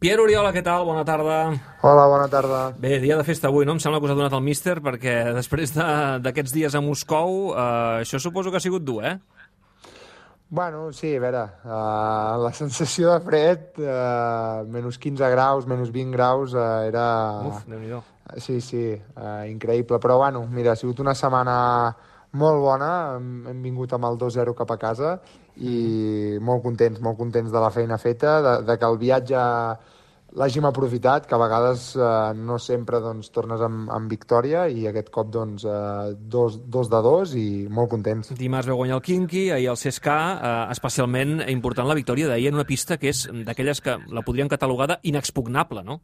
Pierre Oriola, què tal? Bona tarda. Hola, bona tarda. Bé, dia de festa avui, no? Em sembla que us ha donat el míster, perquè després d'aquests dies a Moscou, això suposo que ha sigut dur, eh? Bueno, sí, a veure, la sensació de fred, menys 15 graus, menys 20 graus, era... Uf, Déu-n'hi-do. Sí, increïble. Però, bueno, mira, ha sigut una setmana molt bona, hem vingut amb el 2-0 cap a casa i molt contents de la feina feta, de que el viatge l'hàgim aprofitat, que a vegades no sempre doncs, tornes amb victòria i aquest cop doncs, 2-2 i molt contents. Dimarts veu guanyar el Khimki, ahir el CSKA, especialment important la victòria d'ahir en una pista que és d'aquelles que la podrien catalogar d'inexpugnable, no?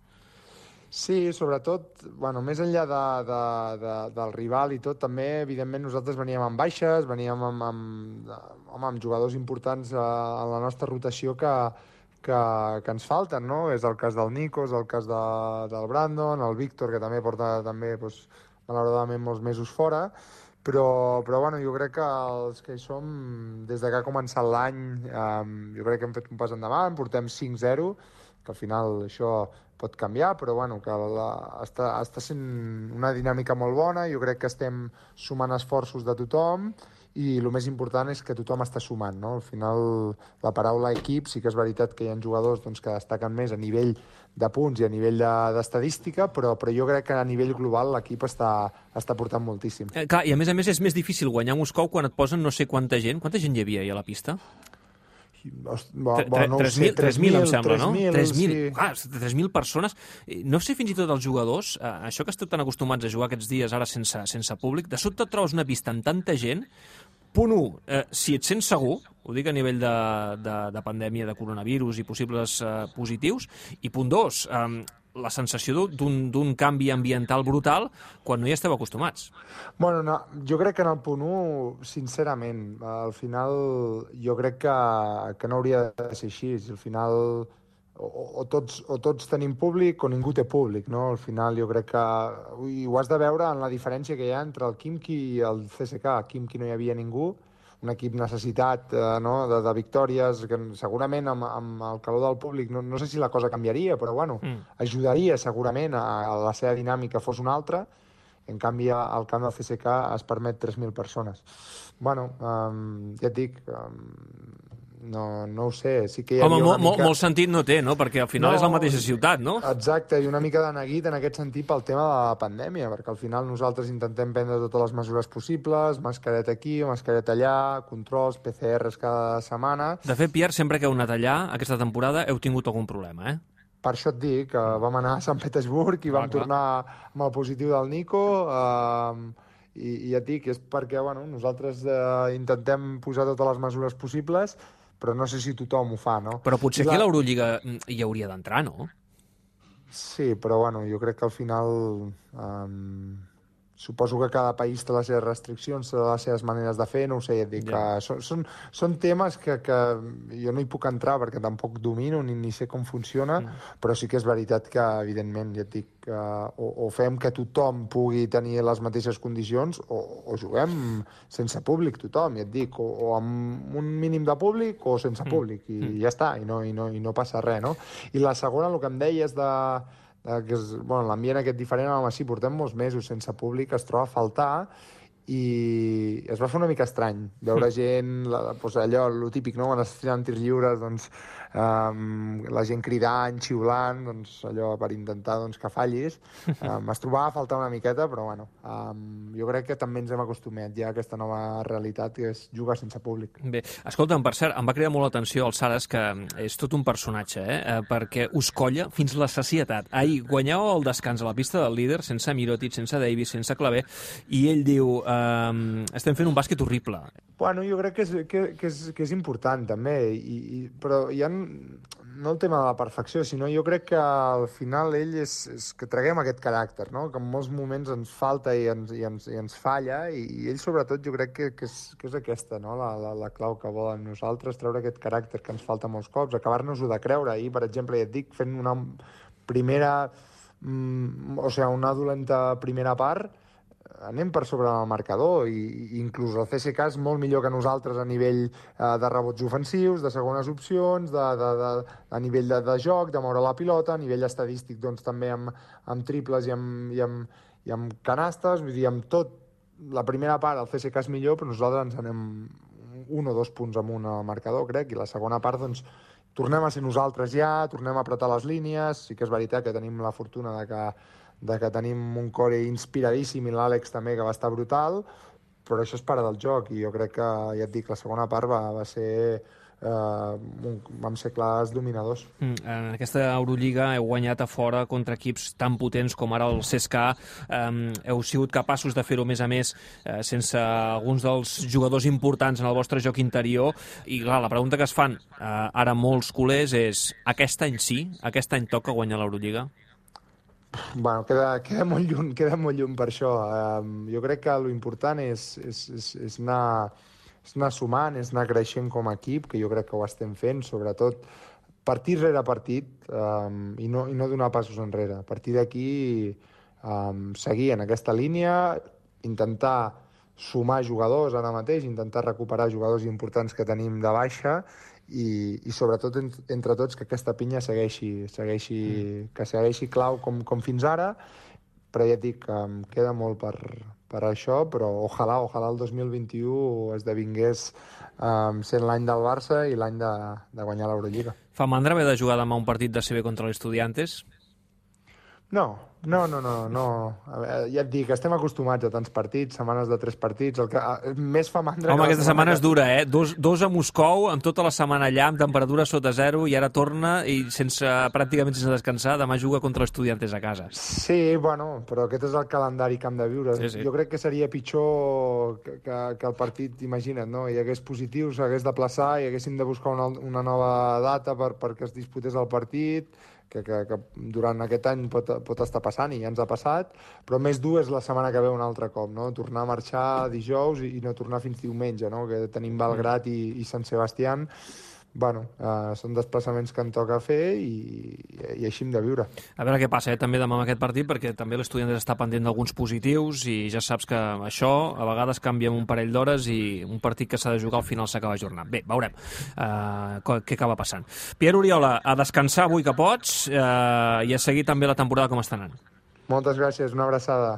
Sí, sobretot, bueno, més enllà del rival i tot, també, evidentment, nosaltres veníem amb baixes, veníem amb jugadors importants en la nostra rotació que ens falten, no? És el cas del Nico, és el cas del Brandon, el Víctor, que també porta, doncs, malauradament, molts mesos fora, però bueno, jo crec que els que hi som, des de que ha començat l'any, jo crec que hem fet un pas endavant, portem 5-0, que al final això pot canviar, però bueno, que està sent una dinàmica molt bona, jo crec que estem sumant esforços de tothom i el més important és que tothom està sumant, no? Al final la paraula equip sí que és veritat que hi ha jugadors doncs, que destaquen més a nivell de punts i a nivell d'estadística, però jo crec que a nivell global l'equip està portant moltíssim. Clar, i a més és més difícil guanyar Moscou quan et posen no sé quanta gent. Quanta gent hi havia ahir a la pista? 3.000, em sembla, no? 3.000, sí. Clar, 3.000 persones. No sé fins i tot els jugadors, això que esteu tan acostumats a jugar aquests dies ara sense públic, de sobte et trobes una pista amb tanta gent. Punt 1, si et sents segur, ho dic a nivell de pandèmia de coronavirus i possibles positius, i punt 2, la sensació d'un canvi ambiental brutal quan no hi esteu acostumats. Bueno, no, jo crec que en el punt 1, sincerament, al final jo crec que no hauria de ser així. Al final o tots tenim públic o ningú té públic, no? Al final jo crec que ho has de veure en la diferència que hi ha entre el Khimki i el CSKA. A Khimki no hi havia ningú, un equip necessitat de victòries, que segurament amb el calor del públic no sé si la cosa canviaria, però bueno, ajudaria segurament a la seva dinàmica fos una altra. En canvi, al camp del CSKA es permet 3.000 persones. Bueno, ja et dic, no ho sé. Sí que hi havia molt sentit no té, no? Perquè al final és la mateixa ciutat, no? Exacte, i una mica de neguit en aquest sentit pel tema de la pandèmia, perquè al final nosaltres intentem prendre totes les mesures possibles, mascareta aquí, mascareta allà, controls, PCRs cada setmana. De fet, Pierre, sempre que heu anat allà, aquesta temporada, heu tingut algun problema, eh? Per això et dic, que vam anar a Sant Petersburg i vam tornar amb el positiu del Nico, i ja et dic, és perquè bueno, nosaltres intentem posar totes les mesures possibles, però no sé si tothom ho fa, no? Però potser aquí a l'Eurolliga hi hauria d'entrar, no? Sí, però bueno, jo crec que al final suposo que cada país té les seves restriccions, té les seves maneres de fer, no ho sé, ja et dic, que són temes que jo no hi puc entrar perquè tampoc domino ni sé com funciona, però sí que és veritat que, evidentment, ja et dic, o fem que tothom pugui tenir les mateixes condicions o juguem sense públic tothom, ja et dic, o amb un mínim de públic o sense públic, i ja està, i no passa res, no? I la segona, el que em deies que l'ambient aquest diferent, home, sí, portem molts mesos sense públic, es troba a faltar, i es va fer una mica estrany veure gent, allò, el típic, no? Quan es tiren tirs lliures, doncs, la gent cridant, xiulant, doncs, allò per intentar que fallis. Es trobava a faltar una miqueta, però bueno, jo crec que també ens hem acostumat ja a aquesta nova realitat, que és jugar sense públic. Bé, escolta'm, per cert, em va cridar molt l'atenció el Saras, que és tot un personatge, perquè us colla fins la sacietat. Ahir guanyeu el descans a la pista del líder, sense Mirotic, sense Davis, sense Claver, i ell diu, estem fent un bàsquet horrible. Bueno, jo crec que és important, també, però hi ha no el tema de la perfecció, sinó jo crec que al final ell és que traguem aquest caràcter, no? Que en molts moments ens falta i ens falla, i ell sobretot jo crec que és aquesta, no? La clau que volen nosaltres, treure aquest caràcter que ens falta molts cops, acabar-nos-ho de creure. I, per exemple, ja et dic, fent una primera, una dolenta primera part, anem per sobre del marcador i inclús el CSKA és molt millor que nosaltres a nivell de rebots ofensius, de segones opcions, a nivell de joc, de moure la pilota, a nivell estadístic doncs, també amb triples i amb canastes, vull dir, amb tot. La primera part el CSKA és millor, però nosaltres ens anem 1 o 2 punts amunt al marcador, crec, i la segona part doncs, tornem a ser nosaltres ja, tornem a apretar les línies, sí que és veritat que tenim la fortuna de que tenim un core inspiradíssim i l'Àlex també, que va estar brutal, però això és part del joc i jo crec que, ja et dic, la segona part va ser... vam ser clars dominadors. En aquesta Eurolliga heu guanyat a fora contra equips tan potents com ara el CSKA. Heu sigut capaços de fer-ho, a més, sense alguns dels jugadors importants en el vostre joc interior. I, clar, la pregunta que es fan ara molts culers és: aquest any toca guanyar l'Eurolliga? Bueno, queda molt lluny per això. Jo crec que l'important és anar sumant, és anar creixent com a equip, que jo crec que ho estem fent, sobretot partit rere partit, i no donar passos enrere. A partir d'aquí, seguir en aquesta línia, intentar sumar jugadors ara mateix, intentar recuperar jugadors importants que tenim de baixa i sobretot entre tots que aquesta pinya que segueixi clau com fins ara, però ja et dic que em queda molt per això, però ojalà el 2021 esdevingués sent l'any del Barça i l'any de guanyar l'Eurolliga. Fa mandra haver de jugar demà un partit de CB contra l'Estudiantes? No. Ja et dic, estem acostumats a tants partits, setmanes de 3 partits, el que més fa mandra... Home, aquesta setmana és dura, eh? Dos a Moscou, amb tota la setmana allà, amb temperatura sota zero, i ara torna i pràcticament sense descansar, demà juga contra l'Estudiantes a casa. Sí, bueno, però aquest és el calendari que hem de viure. Sí. Jo crec que seria pitjor que el partit, imagina't, no? Hi hagués positius, s'hagués de plaçar, i haguéssim de buscar una nova data perquè es disputés el partit, que durant aquest any pot estar passant, i ja ens ha passat, però més dur és la setmana que ve un altre cop, no? Tornar a marxar dijous i no tornar fins diumenge, no? Que tenim Belgrat i Sant Sebastián. Bueno, són desplaçaments que em toca fer i així hem de viure. A veure què passa també demà amb aquest partit, perquè també l'Estudiantes està pendent d'alguns positius i ja saps que això a vegades canvia en un parell d'hores i un partit que s'ha de jugar al final s'acaba ajornant. Bé, veurem què acaba passant. Pierre Oriola, a descansar avui que pots i a seguir també la temporada com està anant. Moltes gràcies, una abraçada.